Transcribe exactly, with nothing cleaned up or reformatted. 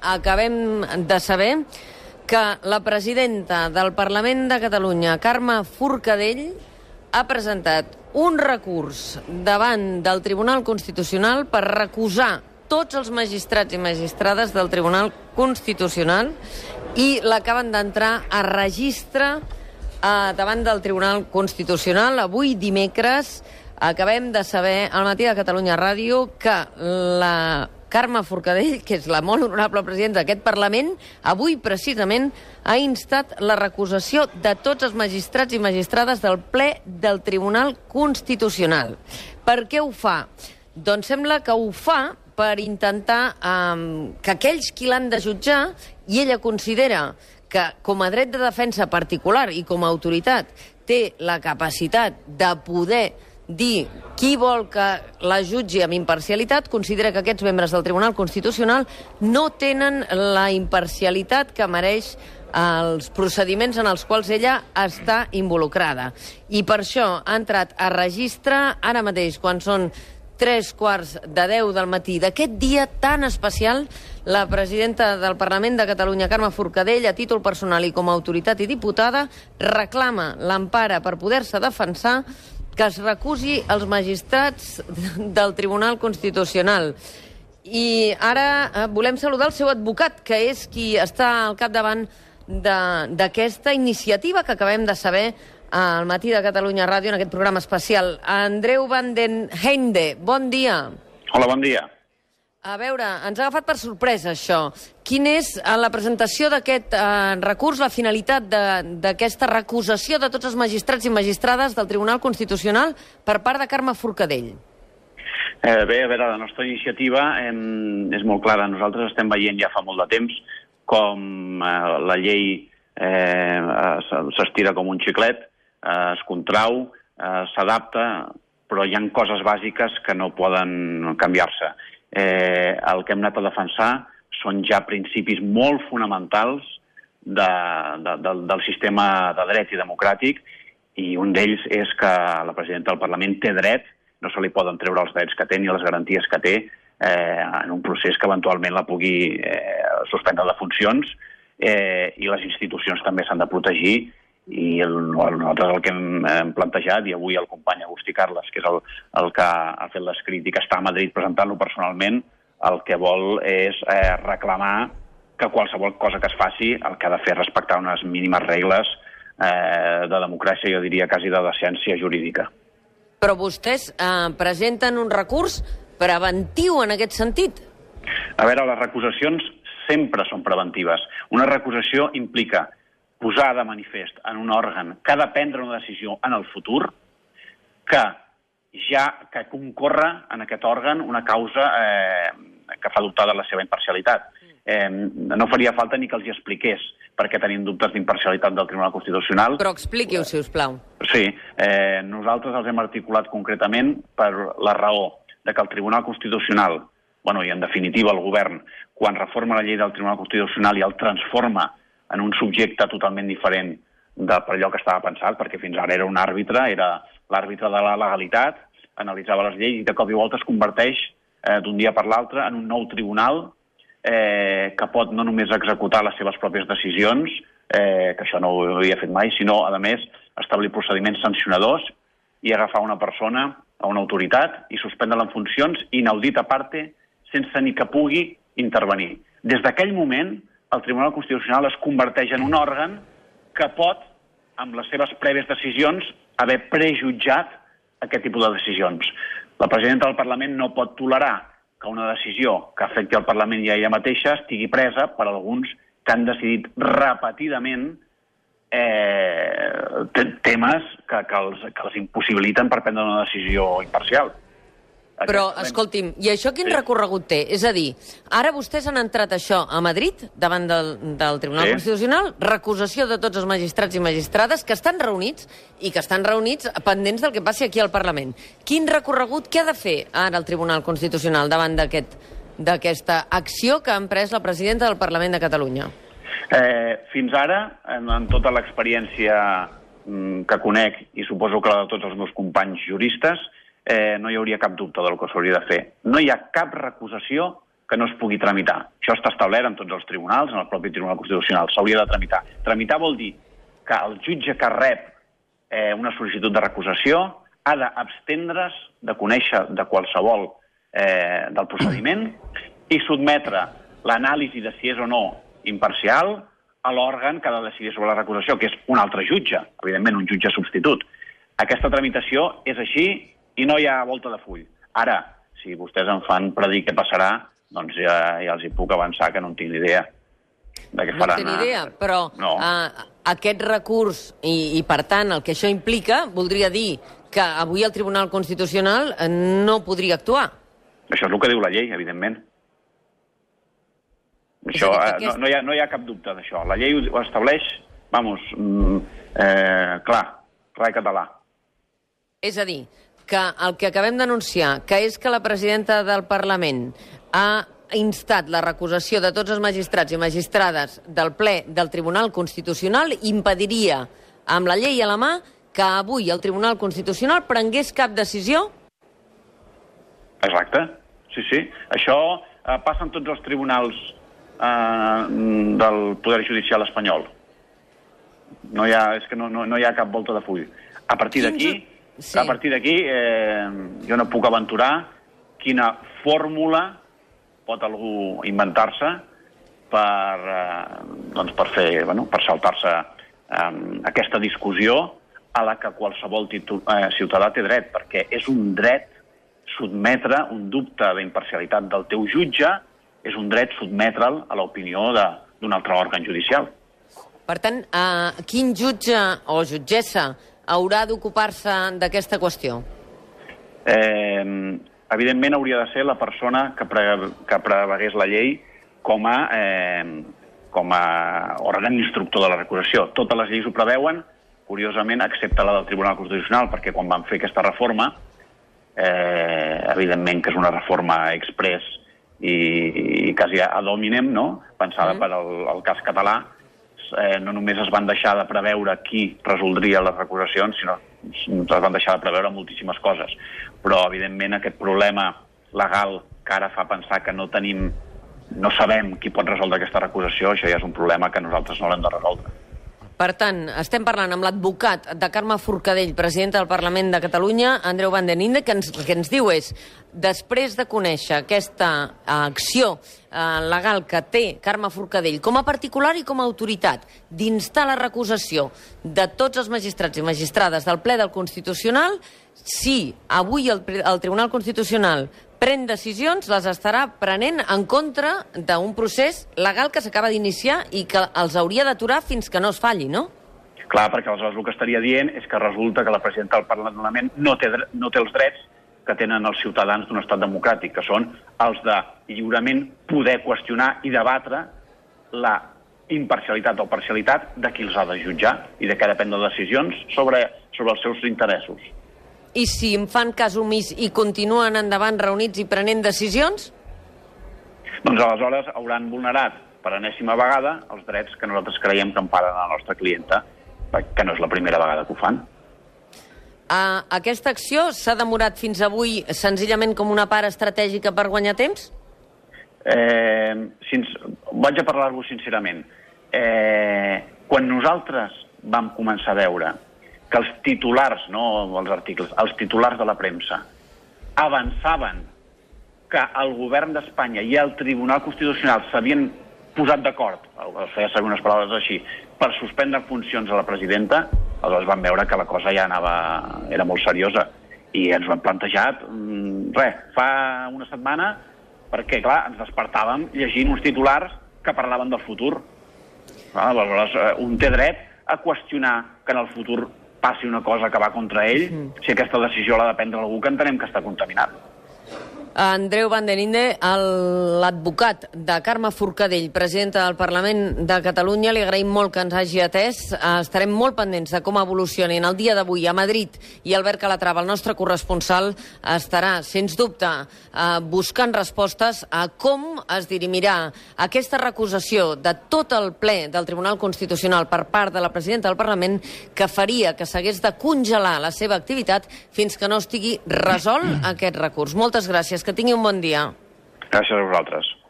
acabem de saber que la presidenta del Parlament de Catalunya, Carme Forcadell, ha presentat un recurs davant del Tribunal Constitucional per recusar tots els magistrats i magistrades del Tribunal Constitucional i l'acaben d'entrar a registre eh, davant del Tribunal Constitucional. Avui, dimecres, acabem de saber al Matí de Catalunya Ràdio que la Carme Forcadell, que és la molt honorable presidenta d'aquest Parlament, avui precisament ha instat la recusació de tots els magistrats i magistrades del ple del Tribunal Constitucional. Per què ho fa? Doncs sembla que ho fa per intentar um, que aquells qui l'han de jutjar, i ella considera que com a dret de defensa particular i com a autoritat té la capacitat de poder dir qui vol que la jutgi amb imparcialitat, considera que aquests membres del Tribunal Constitucional no tenen la imparcialitat que mereix els procediments en els quals ella està involucrada. I per això ha entrat a registre ara mateix, quan són tres quarts de deu del matí d'aquest dia tan especial. La presidenta del Parlament de Catalunya, Carme Forcadell, a títol personal i com a autoritat i diputada, reclama l'empara per poder-se defensar que es recusi els magistrats del Tribunal Constitucional. I ara eh, volem saludar el seu advocat, que és qui està al capdavant d'aquesta iniciativa que acabem de saber al Matí de Catalunya Ràdio en aquest programa especial. Andreu van den Heinde, bon dia. Hola, bon dia. A veure, ens ha agafat per sorpresa això. Quina és la presentació d'aquest eh, recurs, la finalitat d'aquesta recusació de tots els magistrats i magistrades del Tribunal Constitucional per part de Carme Forcadell? Eh, bé, a veure, la nostra iniciativa eh, és molt clara. Nosaltres estem veient ja fa molt de temps com eh, la llei eh, s'estira com un xiclet, eh, es contrau, eh, s'adapta, però hi ha coses bàsiques que no poden canviar-se. Eh, el que hem anat a defensar són ja principis molt fonamentals de, de, de, del sistema de dret i democràtic, i un d'ells és que la presidenta del Parlament té dret, no se li poden treure els drets que té ni les garanties que té eh, en un procés que eventualment la pugui eh, suspendre de funcions, eh, i les institucions també s'han de protegir. I el, nosaltres el que hem, hem plantejat, i avui el company Agustí Carles, que és el, el que ha fet l'escrit i que està a Madrid presentant-lo personalment, el que vol és eh, reclamar que qualsevol cosa que es faci el que ha de fer respectar unes mínimes regles eh, de democràcia, jo diria quasi de decència jurídica. Però vostès eh, presenten un recurs preventiu en aquest sentit? A veure, les recusacions sempre són preventives. Una recusació implica posar de manifest en un òrgan que ha de prendre una decisió en el futur que ja que concorre en aquest òrgan una causa eh, que fa dubtar de la seva imparcialitat. Eh, no faria falta ni que els hi expliqués perquè tenim dubtes d'imparcialitat del Tribunal Constitucional. Però expliqui-ho, si us plau. Sí, eh, nosaltres els hem articulat concretament per la raó de que el Tribunal Constitucional, bueno, i en definitiva el govern, quan reforma la llei del Tribunal Constitucional i el transforma en un subjecte totalment diferent de per allò que estava pensat, perquè fins ara era un àrbitre, era l'àrbitre de la legalitat, analitzava les lleis i de cop i volta es converteix eh, d'un dia per l'altre en un nou tribunal eh, que pot no només executar les seves pròpies decisions, eh, que això no ho havia fet mai, sinó, a més, establir procediments sancionadors i agafar una persona, a una autoritat, i suspendre-la en funcions, inaudit a parte, sense ni que pugui intervenir. Des d'aquell moment, el Tribunal Constitucional es converteix en un òrgan que pot, amb les seves prèvies decisions, haver prejutjat aquest tipus de decisions. La presidenta del Parlament no pot tolerar que una decisió que afecti al Parlament i a ella mateixa estigui presa per alguns que han decidit repetidament eh, temes que, que, els, que els impossibiliten per prendre una decisió imparcial. Però, escolti'm, i això quin sí. recorregut té? És a dir, ara vostès han entrat això a Madrid, davant del, del Tribunal sí. Constitucional, recusació de tots els magistrats i magistrades que estan reunits i que estan reunits pendents del que passi aquí al Parlament. Quin recorregut, què ha de fer ara el Tribunal Constitucional davant d'aquest, d'aquesta acció que ha emprès la presidenta del Parlament de Catalunya? Eh, fins ara, en, en tota l'experiència mm, que conec, i suposo que la de tots els meus companys juristes, Eh, no hi hauria cap dubte del que s'hauria de fer. No hi ha cap recusació que no es pugui tramitar. Això està establert en tots els tribunals, en el propi Tribunal Constitucional. S'hauria de tramitar. Tramitar vol dir que el jutge que rep eh, una sol·licitud de recusació ha d'abstendre's de conèixer de qualsevol eh, del procediment i sotmetre l'anàlisi de si és o no imparcial a l'òrgan que ha de decidir sobre la recusació, que és un altre jutge, evidentment un jutge substitut. Aquesta tramitació és així i no hi ha volta de full. Ara, si vostès em fan predir què passarà, doncs ja, ja els hi puc avançar que no en tinc ni idea. De què no faran, en tinc idea, però no. uh, aquest recurs, i, i per tant el que això implica, voldria dir que avui el Tribunal Constitucional no podria actuar. Això és el que diu la llei, evidentment. Això, eh, aquest... no, no, hi ha, no hi ha cap dubte d'això. La llei ho estableix, vamos, mm, eh, clar, clar i català. És a dir, que el que acabem d'anunciar, que és que la presidenta del Parlament ha instat la recusació de tots els magistrats i magistrades del ple del Tribunal Constitucional, impediria, amb la llei a la mà, que avui el Tribunal Constitucional prengués cap decisió? Exacte, sí, sí. Això eh, passa en tots els tribunals eh, del Poder Judicial espanyol. No hi ha, és que no, no, no hi ha cap volta de full. A partir d'aquí, sí. a partir d'aquí, eh, jo no puc aventurar quina fórmula pot algú inventar-se per, eh, doncs per fer, bueno, per saltar-se eh, aquesta discussió a la que qualsevol titu, eh, ciutadà té dret, perquè és un dret sotmetre un dubte d'imparcialitat del teu jutge, és un dret sotmetre'l a l'opinió d'un altre òrgan judicial. Per tant, eh, quin jutge o jutgessa haurà d'ocupar-se d'aquesta qüestió? Eh, evidentment hauria de ser la persona que, pre, que prevegués la llei com a, eh, com a òrgan instructor de la recusació. Totes les lleis ho preveuen, curiosament, excepte la del Tribunal Constitucional, perquè quan van fer aquesta reforma, eh, evidentment que és una reforma express i, i quasi ad hominem, no? Pensada mm. per al, al cas català, eh, no només es van deixar de preveure qui resoldria les recusacions, sinó es van deixar de preveure moltíssimes coses. Però, evidentment, aquest problema legal que ara fa pensar que no tenim, no sabem qui pot resoldre aquesta recusació, això ja és un problema que nosaltres no l'hem de resoldre. Per tant, estem parlant amb l'advocat de Carme Forcadell, presidenta del Parlament de Catalunya, Andreu Van den Linde, que ens, que ens diu és, després de conèixer aquesta acció eh, legal que té Carme Forcadell com a particular i com a autoritat d'instar la recusació de tots els magistrats i magistrades del ple del Constitucional, si avui el, el Tribunal Constitucional pren decisions, les estarà prenent en contra d'un procés legal que s'acaba d'iniciar i que els hauria d'aturar fins que no es falli, no? Clar, perquè aleshores el que estaria dient és que resulta que la presidenta del Parlament no té, no té els drets que tenen els ciutadans d'un estat democràtic, que són els de lliurement poder qüestionar i debatre la imparcialitat o parcialitat de qui els ha de jutjar i de què depèn de decisions sobre, sobre els seus interessos. I si em fan cas omís i continuen endavant reunits i prenent decisions? Doncs aleshores hauran vulnerat per enèsima vegada els drets que nosaltres creiem que emparen a la nostra clienta, que no és la primera vegada que ho fan. Uh, aquesta acció s'ha demorat fins avui senzillament com una part estratègica per guanyar temps? Eh, sins... Vaig a parlar-vos sincerament. Eh, quan nosaltres vam començar a veure que els titulars, no els articles, els titulars de la premsa avançaven que el govern d'Espanya i el Tribunal Constitucional s'havien posat d'acord, feia servir unes paraules així, per suspendre funcions a la presidenta, aleshores vam veure que la cosa ja anava, era molt seriosa i ens ho hem plantejat, res, fa una setmana, perquè, clar, ens despertàvem llegint uns titulars que parlaven del futur. Aleshores, un té dret a qüestionar que en el futur passi una cosa que va contra ell, mm. si aquesta decisió l'ha de prendre algú que entenem que està contaminat. Andreu Van den Linde, l'advocat de Carme Forcadell, presidenta del Parlament de Catalunya, li agraïm molt que ens hagi atès. Estarem molt pendents de com evolucionin el dia d'avui a Madrid, i Albert Calatrava, el nostre corresponsal, estarà, sens dubte, buscant respostes a com es dirimirà aquesta recusació de tot el ple del Tribunal Constitucional per part de la presidenta del Parlament, que faria que s'hagués de congelar la seva activitat fins que no estigui resolt aquest recurs. Moltes gràcies. Que tingui un bon dia. Gràcies a vosaltres.